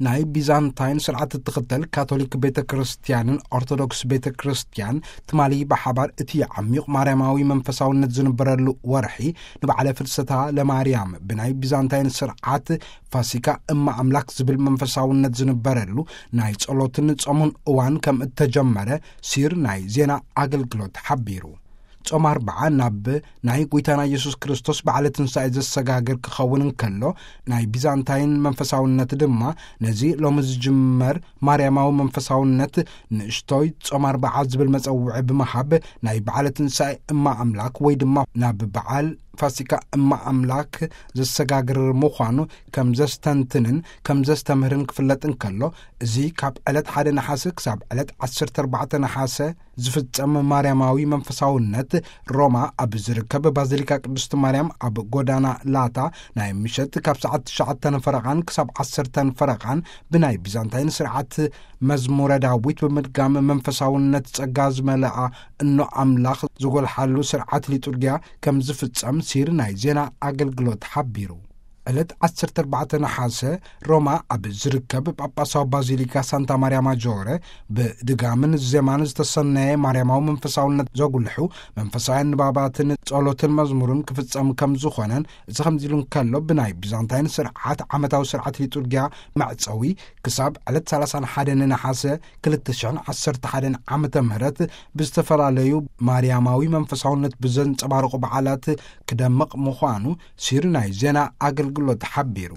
ናይ ቢዛንታይን ስርዓት እትኽተል ካቶሊክ ቤተ ክርስቲያንን ኦርቶዶክስ ቤተ ክርስቲያን ትማሊ ብሓባር እቲ ዓሚቕ ማርያማዊ መንፈሳውነት ዝንበረሉ ወርሒ ንበዓለ ፍልሰታ ለማርያም ብናይ ቢዛንታይን ስርዓት ፋሲካ እማ ኣምላክ ዝብል መንፈሳውነት ዝንበረሉ ናይ ጸሎትን ጾምን እዋን ከም እተጀመረ ሲር ናይ ዜና ኣገልግሎት ሓቢሩ። ጾም ኣርብዓ ናብ ናይ ጐይታና ኢየሱስ ክርስቶስ በዓለ ትንሳኤ ዘሰጋግር ክኸውን እንከሎ፣ ናይ ቢዛንታይን መንፈሳውነት ድማ ነዚ ሎሚ ዝጅመር ማርያማዊ መንፈሳውነት ንእሽቶይ ጾም ኣርብዓ ዝብል መጸውዒ ብምሃብ ናይ በዓለ ትንሳኤ እማ ኣምላክ ወይ ድማ ናብ በዓል ፋሲካ እማ ኣምላክ ዘሰጋግር ምዃኑ ከም ዘስተንትንን ከም ዘስተምህርን ክፍለጥ እንከሎ፣ እዚ ካብ ዕለት ሓደ ነሓሰ ክሳብ ዕለት ዓሰርተ ኣርባዕተ ነሓሰ ዝፍጸም ማርያማዊ መንፈሳውነት ሮማ ኣብ ዝርከብ ባዚሊካ ቅድስቲ ማርያም ኣብ ጎዳና ላታ ናይ ምሸት ካብ ሰዓት ትሽዓተ ፈረቓን ክሳብ ዓሰርተ ፈረቓን ብናይ ቢዛንታይን ስርዓት መዝሙረ ዳዊት ብምድጋም መንፈሳውነት ጸጋ ዝመልኣ እኖ ኣምላኽ ዝጎልሓሉ ስርዓት ሊጡርጊያ ከም ዝፍጸም ሲር ናይ ዜና ኣገልግሎት ሓቢሩ። ዕለት ዓሰርተ ኣርባዕተ ነሓሰ ሮማ ኣብ ዝርከብ ጳጳሳዊ ባዚሊካ ሳንታ ማርያ ማጆረ ብድጋምን ዜማን ዝተሰነየ ማርያማዊ መንፈሳውነት ዘጉልሑ መንፈሳውያን ንባባትን ጸሎትን መዝሙርን ክፍጸም ከም ዝኾነን፣ እዚ ከምዚ ኢሉ እንከሎ ብናይ ቢዛንታይን ስርዓት ዓመታዊ ስርዓት ሊጡርጊያ መዕጸዊ ክሳብ ዕለት ሰላሳ ሓደ ነሓሰ ክልተ ሽሕን ዓሰርተ ሓደን ዓመተ ምህረት ብዝተፈላለዩ ማርያማዊ መንፈሳውነት ብዘንጸባርቑ በዓላት ክደምቕ ምዃኑ ሲር ናይ ዜና ኣገልግሎት ሓቢሩ።